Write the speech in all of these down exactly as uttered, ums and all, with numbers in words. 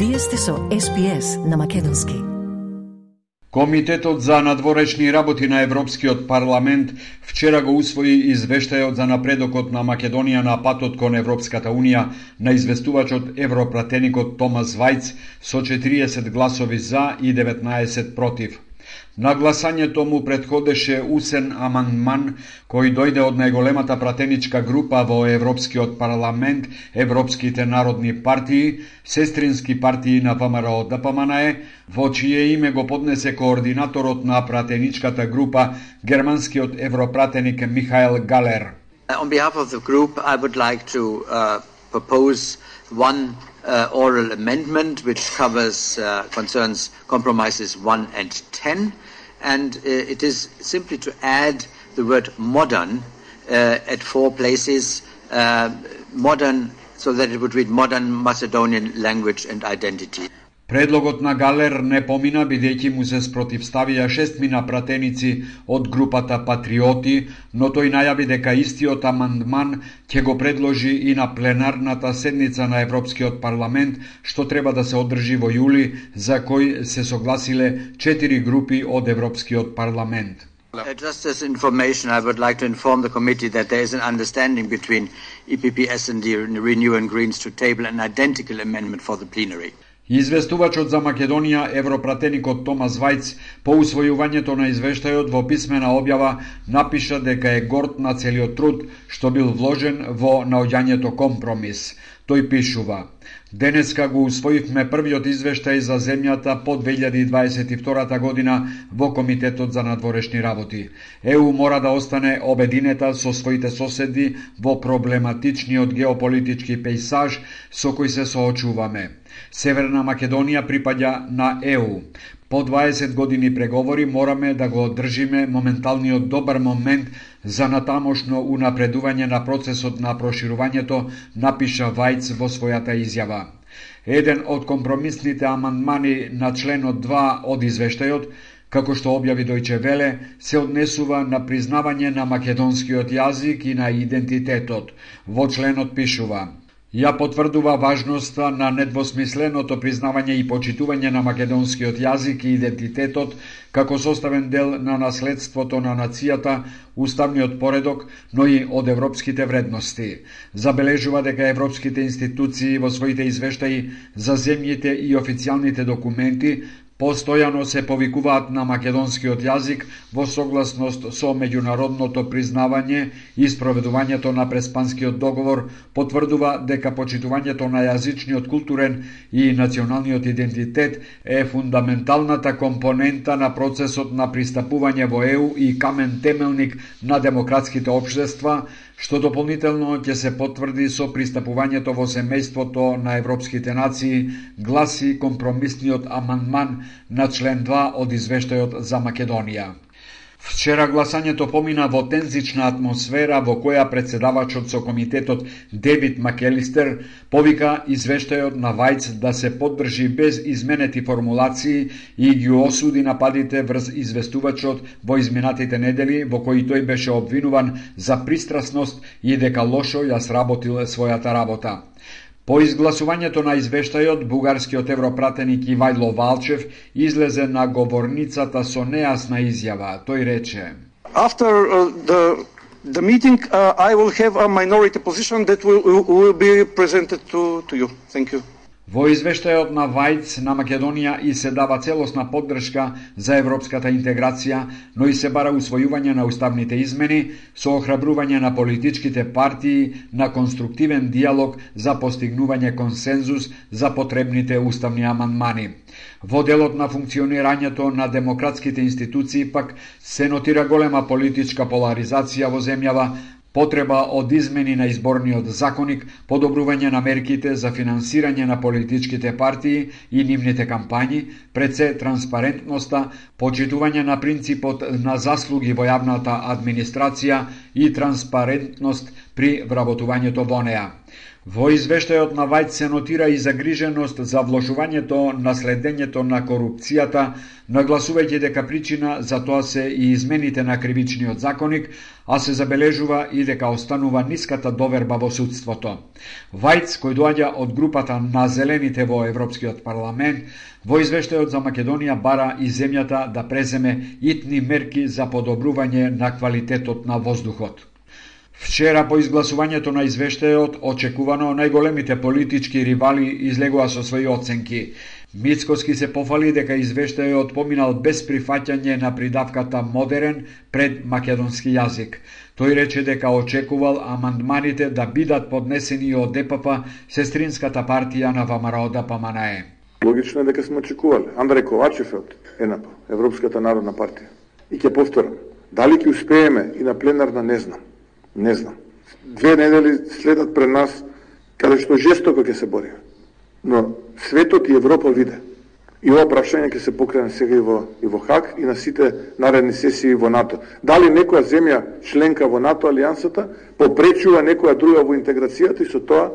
Вие сте со Ес Би Ес на македонски. Комитетот за надворешни работи на Европскиот парламент вчера го усвои извештајот за напредокот на Македонија на патот кон Европската унија на известувачот европратеникот Томас Вајц со четириесет гласови за и деветнаесет против. На гласањето му претходеше усен амандман кој дојде од најголемата пратеничка група во Европскиот парламент, Европските народни партии, сестрински партии на ВМРО Д П М Н Е, во чие име го поднесе координаторот на пратеничката група, германскиот европратеник Михаел Галер. On behalf of the group, I would like to uh, propose one uh, oral amendment which covers uh, concerns compromises one and ten, and uh, it is simply to add the word modern uh, at four places, uh, modern, so that it would read modern Macedonian language and identity. Предлогот на Галер не помина бидејќи му се спротивставија шестмина пратеници од групата Патриоти, но тој најави дека истиот амандман ќе го предложи и на пленарната седница на Европскиот парламент, што треба да се одржи во јули, за кој се согласиле четири групи од Европскиот парламент. Uh, just as information, I would like to inform the committee that there is an understanding between E P P, S and D, Renew and Greens to table an identical amendment for the plenary. Известувачот за Македонија, европратеникот Томас Вајц, по усвојувањето на извештајот во писмена објава напиша дека е горд на целиот труд што бил вложен во наоѓањето компромис. Тој пишува: Денеска го усвоивме првиот извештај за земјата по две илјади дваесет и втора година во Комитетот за надворешни работи. Е У мора да остане обединета со своите соседи во проблематичниот геополитички пејсаж со кој се соочуваме. Северна Македонија припаѓа на Е У. По дваесет години преговори мораме да го одржиме моменталниот добар момент за натамошно унапредување на процесот на проширувањето, напиша Вајц во својата изјава. Еден од компромисните амандмани на членот два од извештајот, како што објави Дојче Веле, се однесува на признавање на македонскиот јазик и на идентитетот. Во членот пишува: Ја потврдува важноста на недвосмисленото признавање и почитување на македонскиот јазик и идентитетот како составен дел на наследството на нацијата, уставниот поредок, но и од европските вредности. Забележува дека европските институции во своите извештаи за земјите и официјалните документи постојано се повикуваат на македонскиот јазик во согласност со меѓународното признавање и спроведувањето на Преспанскиот договор, потврдува дека почитувањето на јазичниот, културен и националниот идентитет е фундаменталната компонента на процесот на пристапување во Е У и камен темелник на демократските општества, што дополнително ќе се потврди со пристапувањето во семејството на европските нации, гласи компромисниот амандман на член два од извештајот за Македонија. Вчера гласањето помина во тензична атмосфера во која председавачот со комитетот Девид Макелистер повика извештајот на Вајц да се поддржи без изменети формулации и ги осуди нападите врз известувачот во изминатите недели, во кои тој беше обвинуван за пристрасност и дека лошо ја сработил својата работа. По изгласувањето на извештајот, бугарскиот европратеник Ивајло Валчев излезе на говорницата со нејасна изјава. Тој рече: After uh, the the meeting, uh, I will have a minority position that will, will be presented to to you. Thank you. Во извештајот на Вајц на Македонија и се дава целосна поддршка за европската интеграција, но и се бара усвојување на уставните измени со охрабрување на политичките партии на конструктивен диалог за постигнување консензус за потребните уставни амандмани. Во делот на функционирањето на демократските институции пак се нотира голема политичка поларизација во земјава, потреба од измени на изборниот законник, подобрување на мерките за финансирање на политичките партии и нивните кампањи, пред се транспарентноста, почитување на принципот на заслуги во јавната администрација и транспарентност при вработувањето во неа. Во извештајот на Вајц се нотира и загриженост за влошувањето на следењето на корупцијата, нагласувајќи дека причина за тоа се и измените на кривичниот законник, а се забележува и дека останува ниската доверба во судството. Вајц, кој доаѓа од групата на зелените во Европскиот парламент, во извештајот за Македонија бара и земјата да преземе итни мерки за подобрување на квалитетот на воздухот. Вчера по изгласувањето на извештајот, очекувано најголемите политички ривали излегува со своји оценки. Мицкоски се пофали дека извештајот поминал без прифаќање на придавката модерен пред македонски јазик. Тој рече дека очекувал амандманите да бидат поднесени од Д П П, сестринската партија на ВМРО Д П М Н Е. Логично е дека сме очекувале. Андреј Ковачев од Е Н П, Европската народна партија. И ќе повторам, дали ќе успееме и на пленарна не знам. Не знам. Две недели следат пред нас каде што жестоко ќе се бориме. Но светот и Европа виде. И ова прашање ќе се покрене сега и во, и во Хаг и на сите наредни сесии во НАТО. Дали некоја земја членка во НАТО алијансата попречува некоја друга во интеграцијата и со тоа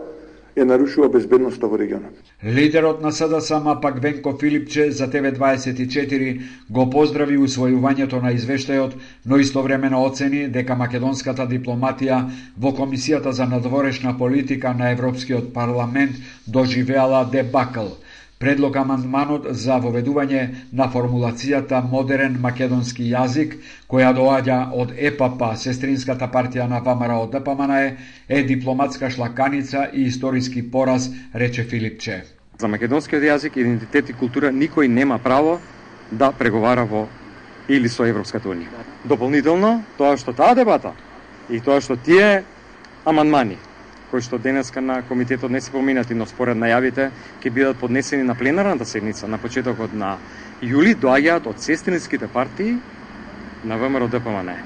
ја нарушува безбедноста во регионот. Лидерот на С Д С М пак Венко Филипче за Т В дваесет и четири го поздрави усвојувањето на извештајот, но истовремено оцени дека македонската дипломатија во Комисијата за надворешна политика на Европскиот парламент доживеала дебакл. Предлог амандманот за воведување на формулацијата модерен македонски јазик, која доаѓа од Е П П, сестринската партија на ВМРО Д П М Н Е, е дипломатска шлаканица и историски пораз, рече Филипче. За македонскиот јазик, идентитет и култура никој нема право да преговара во или со Европската унија. Дополнително, тоа што таа дебата и тоа што тие амандмани кои што денеска на комитетот не се поминати, но според најавите ќе бидат поднесени на пленарната седница на почетокот на јули, доаѓаат од сестринските партии на ВМРО Д П М Н Е.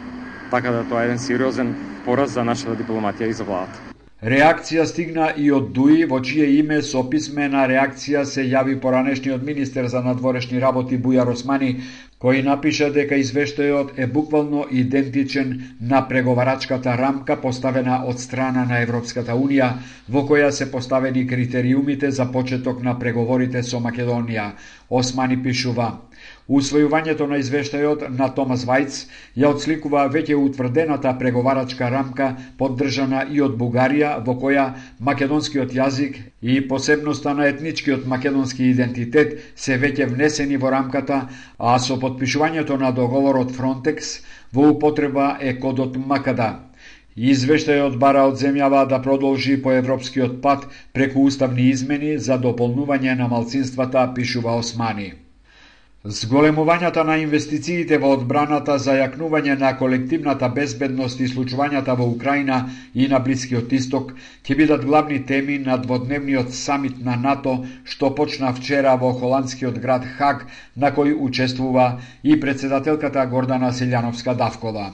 Така да тоа е еден сериозен пораз за нашата дипломатија и за владата. Реакција стигна и од Дуи, во чие име со писмена реакција се јави поранешниот министер за надворешни работи Бујар Османи, кој напиша дека извештајот е буквално идентичен на преговарачката рамка поставена од страна на Европската унија, во која се поставени критериумите за почеток на преговорите со Македонија. Османи пишува: усвојувањето на извештајот на Томас Вајц ја отсликува веќе утврдената преговарачка рамка поддржана и од Бугарија, во која македонскиот јазик и посебноста на етничкиот македонски идентитет се веќе внесени во рамката, а со подпишувањето на договорот Фронтекс во употреба е кодот Макада. Извештајот бара од земјава да продолжи по европскиот пат преку уставни измени за дополнување на малцинствата, пишува Османи. Зголемувањата на инвестициите во одбраната за јакнување на колективната безбедност и случувањата во Украина и на Блискиот Исток ќе бидат главни теми на дводневниот самит на НАТО што почна вчера во холандскиот град Хаг, на кој учествува и председателката Гордана Силјановска-Давкова.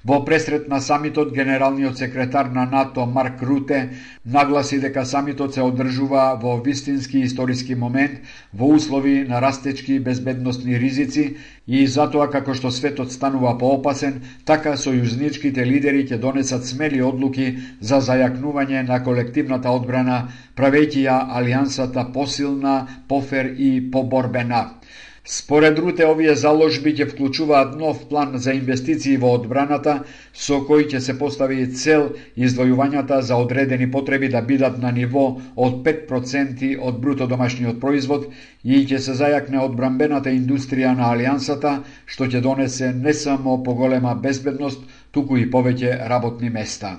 Во пресрет на самитот, генералниот секретар на НАТО Марк Руте нагласи дека самитот се одржува во вистински историски момент, во услови на растечки безбедностни ризици и затоа како што светот станува поопасен, така сојузничките лидери ќе донесат смели одлуки за зајакнување на колективната одбрана, правејќи ја алијансата посилна, пофер и поборбена. Според Руте, овие заложби ќе вклучуваат нов план за инвестиции во одбраната, со кој ќе се постави цел издвојувањата за одредени потреби да бидат на ниво од пет проценти од бруто домашниот производ и ќе се зајакне одбранбената индустрија на алијансата, што ќе донесе не само поголема безбедност, туку и повеќе работни места.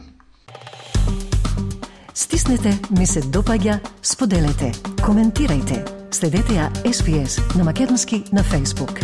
Стиснете, ми се допаѓа, споделете, коментирајте. Следете ја Ес Би Ес на македонски на Facebook.